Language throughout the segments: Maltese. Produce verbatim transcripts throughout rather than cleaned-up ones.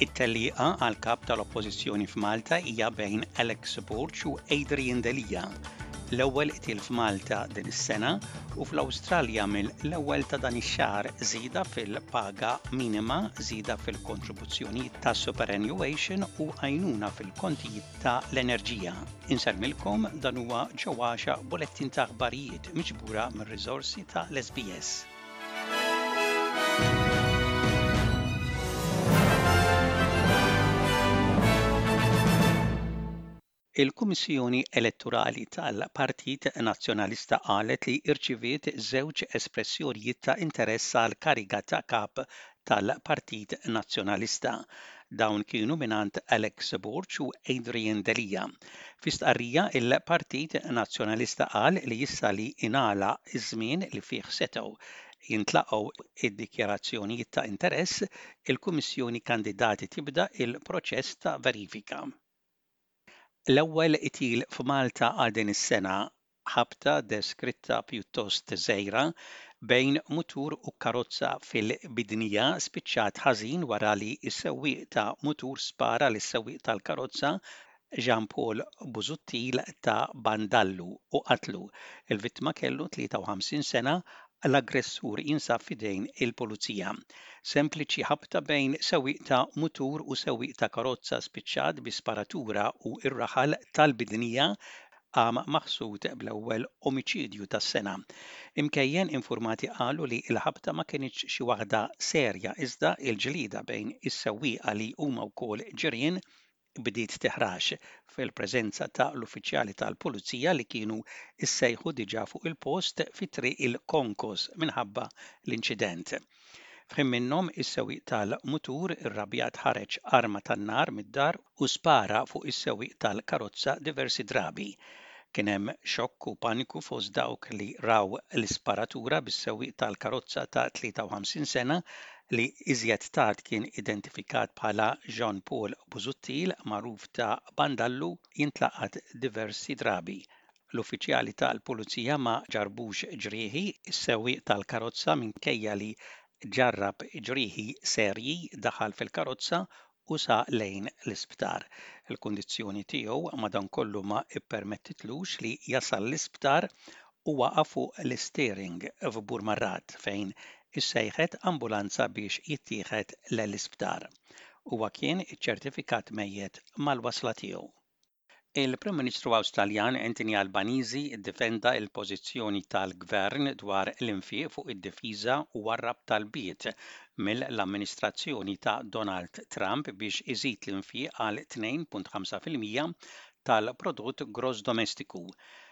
It-tellieqa għal kap tal-Oppożizzjoni f'Malta hija bejn Alex Borg u Adrian Delia. L-ewwel qtil f'Malta din is-sena u fl-Awstralja mill-ewwel ta' dan ix-xahar żieda fil-paga minima, żieda fil-kontribuzzjoni ta' superannuation u għajnuna fil-kontijiet ta' l-enerġija. Insellmilkom, dan huwa ġewwaxa bulettin ta' aħbarijiet miġbura mir-riżorsi ta' l-S B S. Il-Kummissjoni Elettorali tal-Partit Nazzjonalista qalet li rċiviet żewġ espressjonijiet ta' interess għal kariga ta' kap tal-Partit Nazzjonalista. Dawn kienu mingħand Alex Borg u Adrian Delia. Fi stqarrija, il-Partit Nazzjonalista qal li issa li ingħalaq iż-żmien li fih setgħu jintlaqgħu id-dikjarazzjonijiet ta' interess, il-Kummissjoni kandidati tibda il-proċess ta' verifika. L-ewwel qtil f'Malta għal din is-sena, ħabta deskritta pjuttost żgħira bejn mutur u karozza fil-Bidnija spiċċat ħażin wara li s-sewwieq ta' mutur spara lis-sewwieq tal-karozza, Jean Paul Busuttil ta' Bandallu, u qatlu. Il-vittma kellu tlieta u ħamsin sena. L-aggressur jinsab fidejn il-pulizija. Sempliċi ħabta bejn sewwieq ta' mutur u sewwieq ta' karozza spiċċat bi sparatura u ir-raħal tal-Bidnija qam maħsud bl-ewwel omiċidju tas-sena. Imkejjen informati qalu li l-ħabta ma kinitx xi waħda serja, iżda il-ġlida bejn is-sewwieqa, li huma wkoll ġirien, bdiet tiħrax fil-preżenza ta' l-uffiċjali tal-pulizija li kienu issejħu diġà fuq il-post fi Triq il-Konkos minħabba l-inċident. F'ħin minnhom, is-sewwieq tal-mutur irrabjat ħareġ arma tan-nar mid-dar u spara fuq is-sewwieq tal-karozza diversi drabi. Kien hemm xokk u paniku fost dawk li raw l-isparatura, bis-sewwieq tal-karozza ta' tlieta u ħamsin sena, li iżjed tard kien identifikat bħala Jean Paul Busuttil, magħruf ta' Bandallu, jintlaqat diversi drabi. L-uffiċjali tal-pulizija ma ġarbux ġrieħi. Is-sewwieq tal-karozza, minkejja li ġarrab ġrieħi serji, daħal fil-karozza u saq lejn l-isptar. Il-kundizzjoni tiegħu madankollu ma ippermettitlux li jasal l-isptar u waqa' fuq l-steering f'Burmarrad, fejn issejħet ambulanza biex jittieħed l-isptar. Huwa kien iċċertifikat mejjet mal-wasla tiegħu. Il-Prim Ministru Awstraljan Anthony Albanese iddefenda l-pożizzjoni tal-Gvern dwar l-infiq fuq id-difiża u warrab talbiet mill-amministrazzjoni ta' Donald Trump biex iżid l-infiq għal tnejn punt ħamsa fil-mija tal-prodott gross domestiku.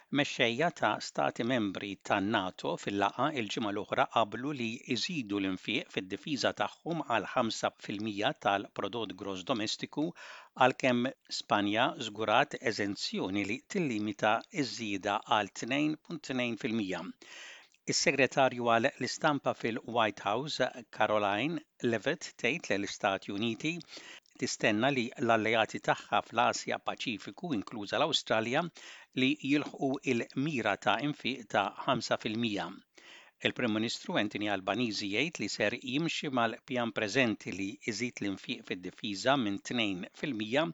Mexxejja ta' stati membri tan-NATO fil-laqgħa il-ġimgħa l-oħra qablu li jżidu l-infiq fid-difiża tagħhom għal ħamsa fil-mija tal-prodott gross domestiku, għalkemm Spanja żgurat eżenzjoni li tillimita ż-żieda għal tnejn punt tnejn fil-mija. Is-segretarju għal l-istampa fil-White House, Karoline Leavitt, tgħid li l-Istati Uniti tistenna li l-alleati tagħha fl-Asja Paċifiku, inkluża l-Awstralja, li jilħqu il-mira ta' infiq ta' ħamsa fil-mija. Il-Prim Ministru Anthony Albanese jgħid li ser jimxi mal-pjan preżenti li jżid l-infiq fid-difiża minn tnejn fil-mija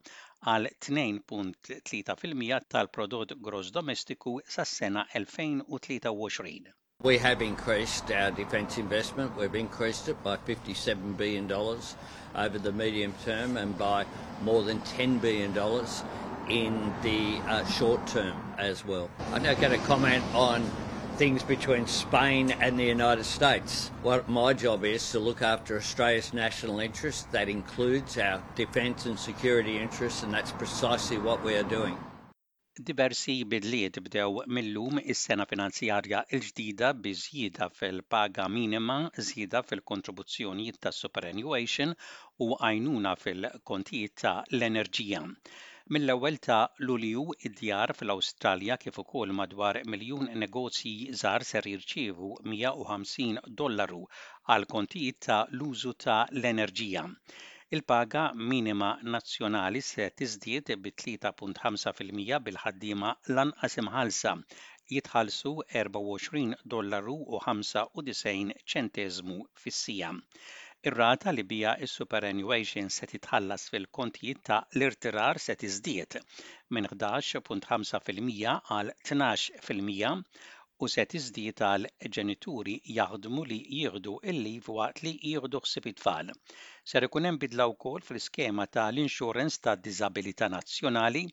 għal tnejn punt tlieta fil-mija tal-prodott gross domestiku sas-sena elfejn u tlieta u għoxrin. We have increased our defence investment. We've increased it by fifty-seven billion dollars over the medium term and by more than ten billion dollars in the uh, short term as well. I'm not going to comment on things between Spain and the United States. What my job is to look after Australia's national interests. That includes our defence and security interests, and that's precisely what we are doing. Diversi bidliet bdew millum is-sena finanzjarja l-ġdida, bi żjieda fil-paga minima, żjieda fil-kontribuzzjonijiet tas-superannuation u għajnuna fil-kontijiet ta' l-enerġija. Mill-ewwel ta' Lulju, id-djar fl-Awstralja kif ukoll madwar miljun negozji żgħar ser jirċievu mija u ħamsin dollaru għal kontijiet ta' l-użu ta' l-enerġija. Il-paga minima nazzjonali se tiżdied bi tlieta punt ħamsa fil-mija, bil-ħaddiema lanqas imħallsa jitħallsu erbgħa u għoxrin dollaru u ħamsa u disgħin ċenteżmu fis-siegħa. Ir-rata li bija is-superannuation se titħallas fil-kontijiet ta' l-irtirar se tiżdied minn ħdax punt ħamsa fil-mija għal tnax fil-mija u se tiżdied għal ġenituri jaħdmu li jieħdu il-leave waqt li jieħdu ħsieb it-tfal. Ser ikun hemm bidla wkoll fl-iskema tal-Insurance ta' Diżabilità Nazzjonali,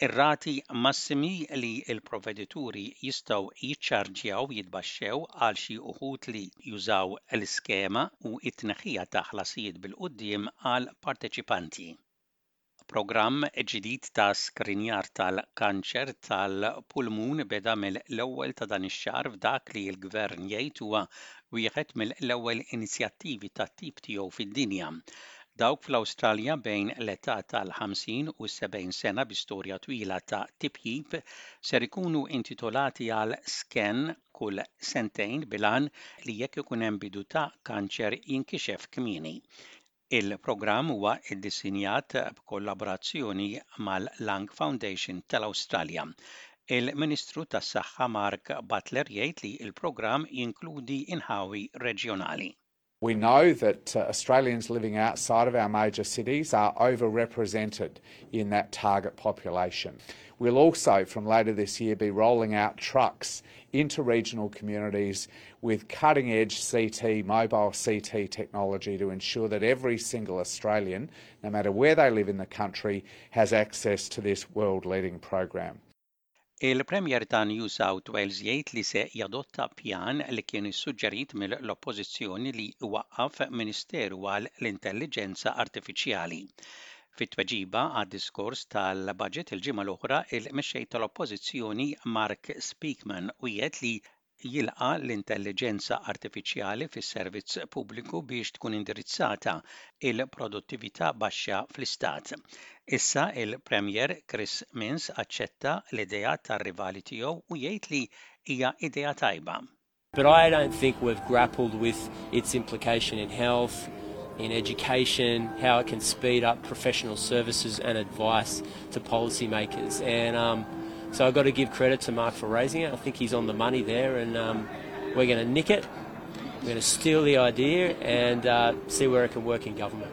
ir-rati massimi li l-provvedituri jistgħu jiċċarġjaw jitbaxxew għal xi uħud li jużaw l-iskema u t-tneħħija ta' ħlasijiet bil-quddiem għal parteċipanti. Programm ġdid ta' skrinjar tal-kanċer tal-pulmun beda mill-ewwel ta' dan ix-xahar f'dak li l-gvern jgħid huwa wieħed mill-ewwel inizjattivi tat-tip tiegħu fid-dinja. Dawk fl-Awstralja bejn l-età tal-ħamsin u sebgħin sena bi storja twila ta' tipjib ser ikunu intitolati għal scan kull sentejn bil-għan li jekk ikun hemm bidu ta' kanċer jinkixef kmieni. Il-programm huwa iddisinjat b'kollaborazzjoni mal-Lung Foundation tal-Awstralja. Il-Ministru tas-Saħħa Mark Butler jgħid li il-programm jinkludi inħawi reġjonali. We know that uh, Australians living outside of our major cities are overrepresented in that target population. We'll also, from later this year, be rolling out trucks into regional communities with cutting edge C T, mobile C T technology to ensure that every single Australian, no matter where they live in the country, has access to this world leading program. Il-Premier ta' New South Wales jgħid li se jadotta pjan li kien issuġġerit mill-Oppożizzjoni li iwaqqaf Ministeru għal l-Intelligenza Artifiċjali. Fit-tweġiba għad-diskors tal-budget il-ġimgħa l-oħra, il-mexxej tal-Oppożizzjoni Mark Speakman wiegħed li jilqa l-intelligenza artifiċjali fis-servizz pubbliku biex tkun indirizzata il-produttività baxxa fl-istat. Issa il-Premier Chris Minns aċċetta l-idea tar-rivali tiegħu u jgħid li hija idea tajba. But I don't think we've grappled with its implication in health, in education, how it can speed up professional services and advice to policymakers. And um, so I've got to give credit to Mark for raising it. I think he's on the money there, and um, we're going to nick it. We're going to steal the idea and uh, see where it can work in government.